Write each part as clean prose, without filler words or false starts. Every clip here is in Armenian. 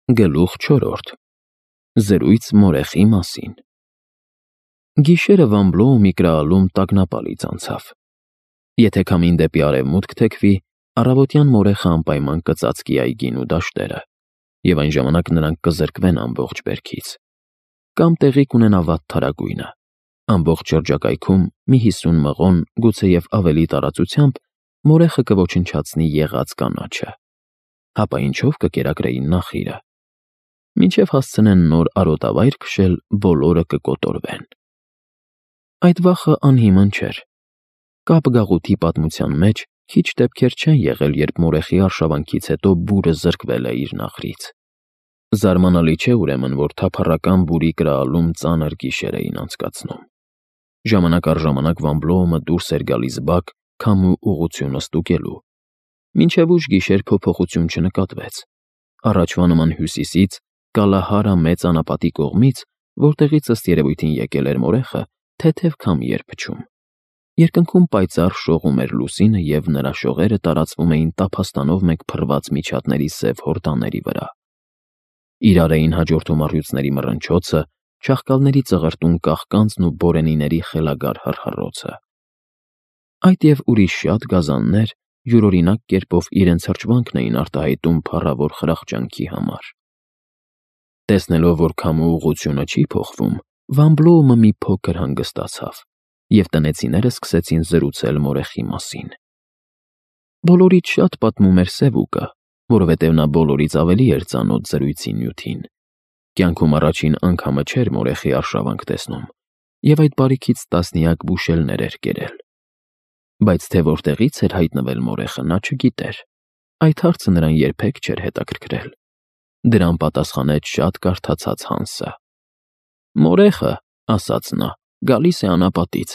Գլուխ 4. Զրույց մորեխի մասին։ Գիշերը Վամբլոու միկրոալում տագնապալից անցավ։ Եթե քամին դեպի արևմուտք թեքվի, առավոտյան մորեխը անպայման կծածկի այգին ու դաշտերը, և այն ժամանակ նրանք կզրկվեն ամբողջ բերքից։ Կամ տեղի կունենա վատթարագույնը։ Ամբողջ շրջակայքում մի 50 մղոն, գուցեև ավելի տարածությամբ, մորեխը կոչնչացնի եղած կանաչը։ Հապա ինչով կկերակրեին նախիրը։ Մինչև հասցնեն նոր արոտավայր քշել, բոլորը կկոտորվեն։ Այդ վախը անհիմն չէր։ Կապ գաղութի պատմության մեջ քիչ դեպքեր չեն եղել, երբ մորեխի արշավանքից հետո բուրը զրկվել է իր նախրից։ Զարմանալի չէ ուրեմն, որ թափառական բուրի կրալում ծանր գիշեր էին անցկացնում։ Ժամանակ առ ժամանակ Վամբլոումը դուրս էր գալիս բակ, քամու ուղղությունը ստուգելու։ Մինչև ուշ գիշեր փոփոխություն չնկատվեց։ Առաջվա նման հյուսիսից, Կալահարա մեծ անապատի կողմից, որտեղից ըստ երևույթին եկել էր մորեխը, թեթև քամի էր փչում։ Երկնքում պայծառ շողում էր լուսինը, և նրա շողերը տարածվում էին տափաստանով մեկ փռված միջատների սև հորդաների վրա։ Իրար էին հաջորդում առյուծների մռնչոցը, չաղկալների ծղրտուն կաղկանցն ու բորենիների խելագար հռհռոցը։ Այդ և ուրիշ շատ գազաններ յուրօրինակ կերպով իրենց հրճվանքն էին արտահայտում փառավոր խրախճանքի համար։ Տեսնելով, որ քամու ուղղությունը չի փոխվում, Վամբլոումը մի փոքր հանգստացավ, և տնեցիները սկսեցին զրուցել մորեխի մասին։ Բոլորից շատ պատմում էր Սևուկը, որովհետև նա բոլորից ավելի էր ծանոթ զրույցի նյութին։ Կյանքում առաջին անգամը չէր մորեխի արշավանք տեսնում, և այդ բարիքից տասնյակ բուշելներ էր կերել։ Բայց թե որտեղից էր հայտնվել մորեխը, նա չգիտեր։ Այդ հարցը նրան երբեք չէր հետաքրքրել։ Դրան պատասխանեց շատ կարդացած Հանսը։ «Մորեխը, — ասաց նա, — գալիս է անապատից։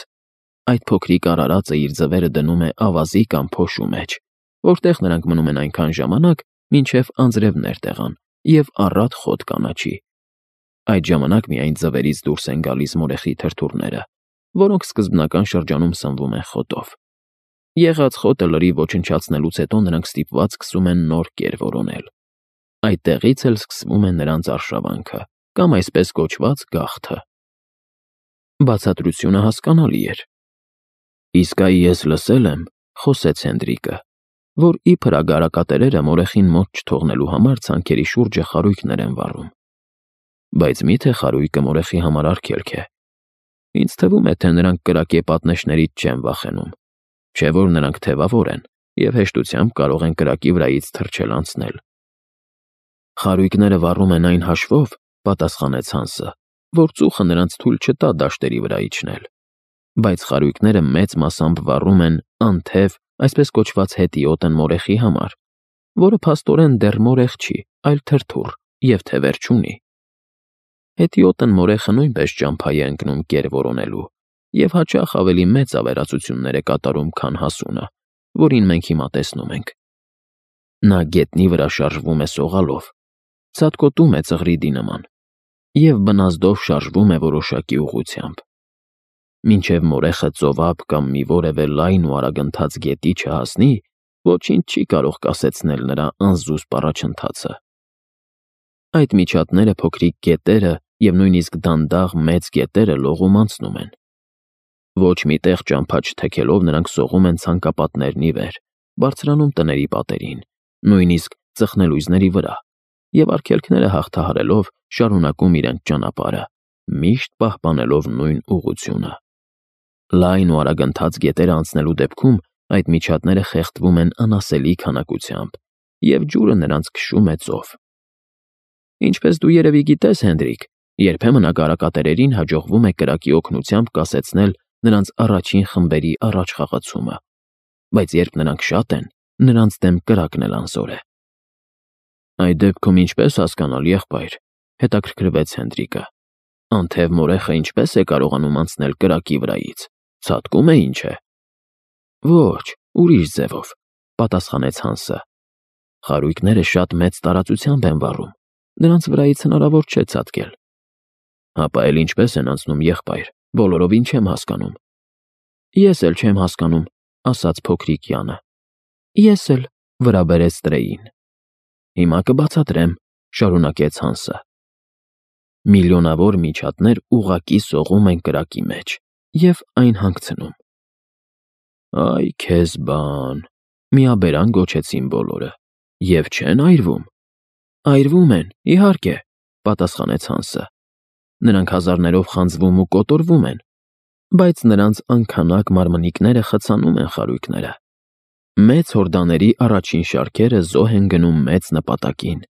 Այդ փոքրիկ արարածը իր ձվերը դնում է ավազի կամ փոշու մեջ, որտեղ նրանք մնում են այնքան ժամանակ, մինչև անձրևներ տեղան և առատ խոտ կանաչի։ Այդ ժամանակ միայն ձվերից դուրս են գալիս մորեխի թրթուրները, որոնք սկզբնական շրջանում սնվում են խոտով։ Եղած խոտը լրիվ ոչնչացնելուց հետո նրանք ստիպված սկսում են նոր կեր որոնել։ Այդտեղից էլ սկսվում է նրանց արշավանքը, կամ այսպես կոչված գաղթը»։ Բացատրությունը հասկանալի էր։ «Իսկ այ ես լսել եմ, — խոսեց Հենդրիկը, — որ իբր ագարակատերերը մորեխին մոտ չթողնելու համար ցանքերի շուրջը խարույկներ են վառում։ Բայց մի՞թե խարույկը մորեխի համար արգելք է։ Ինձ թվում է, թե նրանք կրակե պատնեշներից չեն վախենում, չէ՞ որ նրանք թևավոր են և հեշտությամբ կարող են կրակի վրայից թռչել անցնել»։ «Խարույկները վառում են այն հաշվով, — պատասխանեց Հանսը, — որ ծուխը նրանց թույլ չտա դաշտերի վրա իջնել։ Բայց խարույկները մեծ մասամբ վառում են անթև, այսպես կոչված հետիոտն մորեխի համար, որը փաստորեն դեռ մորեխ չի, այլ թրթուռ և թևեր չունի։ Հետիոտն մորեխը նույնպես ճամփա է ընկնում կեր որոնելու և հաճախ ավելի մեծ ավերածություններ է կատարում, քան հասունը, որին մենք հիմա տեսնում ենք։ Նա գետնի վրա շարժվում է սողալով, ցատկոտում է ծղրիդի նման և բնազդով շարժվում է որոշակի ուղղությամբ։ Մինչև մորեխը ծովափ կամ մի որևէ լայն ու արագընթաց գետի չհասնի, ոչինչ չի կարող կասեցնել նրա անզուսպ առաջընթացը։ Այդ միջատները, փոքրիկ գետերը և նույնիսկ դանդաղ մեծ գետերը լողում անցնում են։ Ոչ մի տեղ ճամփա չթեքելով նրանք սողում են ցանկապատներն ի վեր, բարձրանում տների պատերին, նույնիսկ ծխնելույզների վրա, և արգելքները հաղթահարելով շարունակում իրենց ճանապարհը, միշտ պահպանելով նույն ուղղությունը։ Լայն ու արագընթաց գետերը անցնելու դեպքում այդ միջատները խեղդվում են անասելի քանակությամբ, և ջուրը նրանց քշում է ծով։ Ինչպես դու երևի գիտես, Հենդրիկ, երբեմն ագարակատերերին հաջողվում է կրակի օգնությամբ կասեցնել նրանց առաջին խմբերի առաջխաղացումը, բայց երբ նրանք շատ են, նրանց դեմ կրակն էլ անզոր է։ «Այդ դեպքում ինչպես հասկանալ, եղբայր, — հետաքրքրվեց Հենդրիկը, — անթև մորեխը ինչպես է կարողանում անցնել կրակի վրայից, ցատկում է, ինչ է»։ «Ոչ, ուրիշ ձևով, — պատասխանեց Հանսը. — խարույկները շատ մեծ տարածությամբ են վառում, նրանց վրայից հնարավոր չէ ցատկել»։ «Հապա էլ ինչպես են անցնում, եղբայր, բոլորովին չեմ հասկանում»։ «Ես էլ չեմ հասկանում», — ասաց փոքրիկ Յանը։ «Ես էլ», — վրա բերեց Տրեին։ «Հիմա կբացատրեմ», շարունակեց Հանսը։ Միլիոնավոր միջատներ ուղակի սողում են կրակի մեջ և այն հանգցնում։ Այ քեզ բան, միաբերան գոչեցին բոլորը, և չեն այրվում։ Այրվում են, իհարկե, պատասխանեց Հանսը։ Նրանք հազարներով խանձվում ու կոտորվում են, բայց նրանց անքանակ մարմնիկները խցանում են խարույկները։ Մեծ հորդաների առաջին շարքերը զոհ են գնում մեծ նպատակին,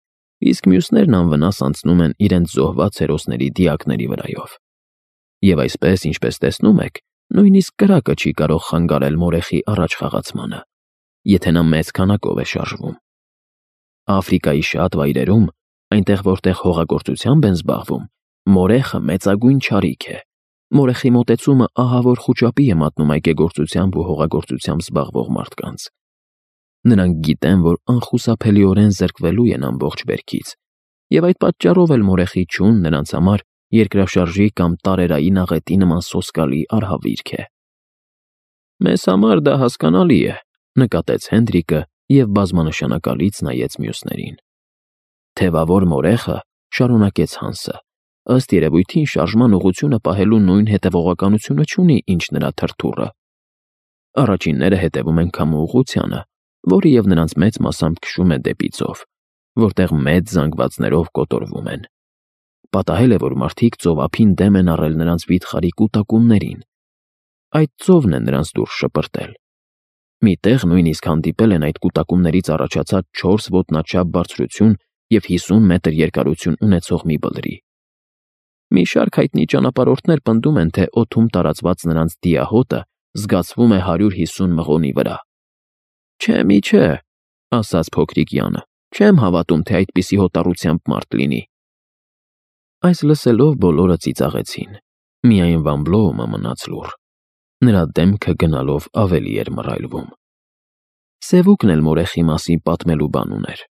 իսկ մյուսներն անվնաս անցնում են իրենց զոհված հերոսների դիակների վրայով։ Եվ այսպես, ինչպես տեսնում եք, նույնիսկ կրակը չի կարող խանգարել մորեխի առաջ խաղացմանը, եթե նա մեծ քանակով է շարժվում։ Աֆրիկայի շատ վայրերում, այնտեղ որտեղ հողագործությամբ են զբաղվում, մորեխը մեծագույն չարիք է։ Մորեխի մոտեցումը ահավոր խուճապի է մատնում այգեգործությամբ ու հողագործությամբ զբաղվող մարդկանց։ Նրանք գիտեն, որ անխուսափելիորեն զրկվելու են ամբողջ բերքից, և այդ պատճառով էլ մորեխի չուն նրանց համար երկրաշարժի կամ տարերային աղետի նման սոսկալի արհավիրք է։ Մեզ համար դա հասկանալի է, նկատեց Հենդրիկը և բազմանշանակալից նայեց մյուսներին։ Թևավոր մորեխը, շարունակեց Հանսը, ըստ երևույթին շարժման ուղղությունը պահելու նույն հետևողականությունը չունի, ինչ նրա թրթուրը։ Առաջինները հետևում են քամու ուղղությանը, որը և նրանց մեծ մասամբ քշում է դեպի ծով, որտեղ մեծ զանգվածներով կոտորվում են։ Պատահել է, որ մարդիկ ծովափին դեմ են առել նրանց վիթխարի կուտակումներին։ Այդ ծովն է նրանց դուրս շպրտել։ Մի տեղ նույնիսկ հանդիպել են այդ կուտակումներից առաջացած 4 ոտնաչափ բարձրություն և 50 մետր երկարություն ունեցող մի բլրի։ Մի շարք հայտնի ճանապարհորդներ պնդում են, թե օդում տարածված նրանց դիահոտը զգացվում է 150 մղոնի վրա։ Չէ, մի չէ, ասաց փոքրիկ Յանը, չեմ հավատում, թե այդպիսի հոտառությամբ մարդ լինի։ Այս լսելով բոլորը ծիծաղեցին, միայն Վան Բլոումը մնաց լուռ։ Նրա դեմքը գնալով ավելի էր մռայլվում։ Սևուկն էլ մորեխի մասին պատմելու բան ուներ։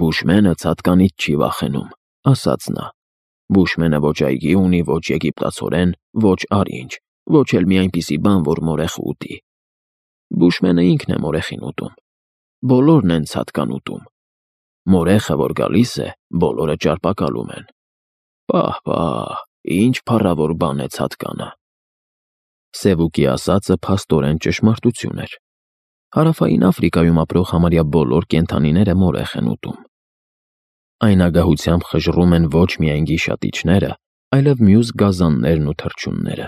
Բուշմենը ցատկանից չի վախենում, ասաց նա։ Բուշմենը ոչ այգի ունի, ոչ եգիպտացորեն, ոչ արինջ, ոչ էլ մի այնպիսի բան, որ մորեխ ուտի։ Բուշմենը ինքն է մորեխին ուտում։ Բոլորն են ցատկան ուտում։ Մորեխը, որ գալիս է, բոլորը ճարպակալում են։ Պահ, ինչ փառավոր բան է ցատկանը։ Սևուկի ասածը փաստորեն ճշմարտություն էր։ Հարավային Աֆրիկայում ապրող համարյա բոլոր կենդանիները մորեխ են ուտում։ Այն ագահությամբ խժռում են ոչ միայն գիշատիչները, այլև մյուս գազաններն ու թռչունները։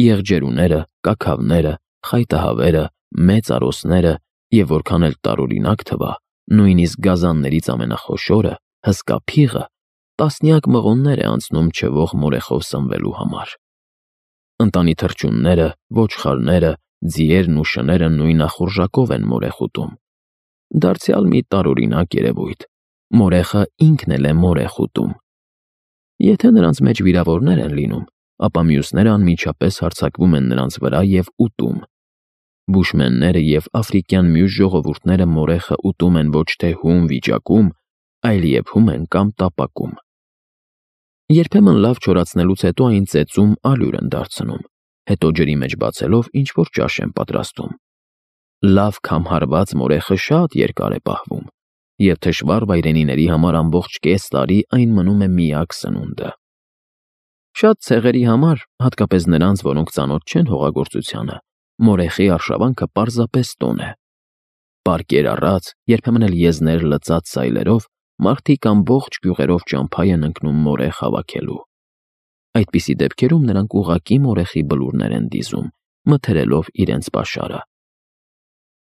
Եղջերուները, կաքավները, խայտահավերը, մեծ արոսները և որքան էլ տարօրինակ թվա, նույնիսկ գազաններից ամենախոշորը, հսկա փիղը, տասնյակ մղոններ է անցնում չվող մորեխով սնվելու համար։ Ընտանի թռչունները, ոչխարները, ձիերն ու շները նույն ախորժակով են մորեխ ուտում։ Դարձյալ մի տարօրինակ երևույթ։ Մորեխը ինքն էլ է մորեխ ուտում։ Եթե նրանց մեջ վիրավորներ են լինում, ապա մյուսները անմիջապես հարձակվում են նրանց վրա և ուտում։ Բուշմենները և աֆրիկյան մյուս ժողովուրդները մորեխը ուտում են ոչ թե հում վիճակում, այլ եփում են կամ տապակում։ Երբեմն լավ չորացնելուց հետո այն ծեծում ալյուր են դարձնում, հետո ջրի մեջ բացելով ինչ-որ ճաշ են պատրաստում։ Լավ քամհարված մորեխը շատ երկար է պահվում, և թշվառ վայրենիների համար ամբողջ կես տարի այն մնում է միակ սնունդը։ Շատ ցեղերի համար, հատկապես նրանց, որոնք ծանոթ չեն հողագործությանը, մորեխի արշավանքը պարզապես տոն է։ Պարկեր առած, երբեմն էլ եզներ լծած սայլերով մարդիկ ամբողջ գյուղերով ճամփա են ընկնում մորեխ հավաքելու։ Այդպիսի դեպքերում նրանք ուղղակի մորեխի բլուրներ են դիզում, մթերելով իրենց պաշարը։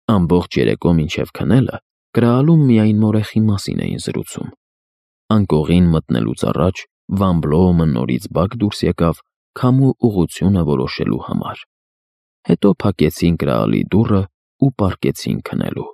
Ամբողջ երեկո մինչև քնելը կրալում միայն մորեխի մասին էին զրուցում։ Անկողին մտնելուց առաջ Վան Բլոումը նորից բակ դուրս եկավ քամու ուղղությունը որոշելու համար։ Հետո փակեցին կրալի դուռը ու պառկեցին քնելու։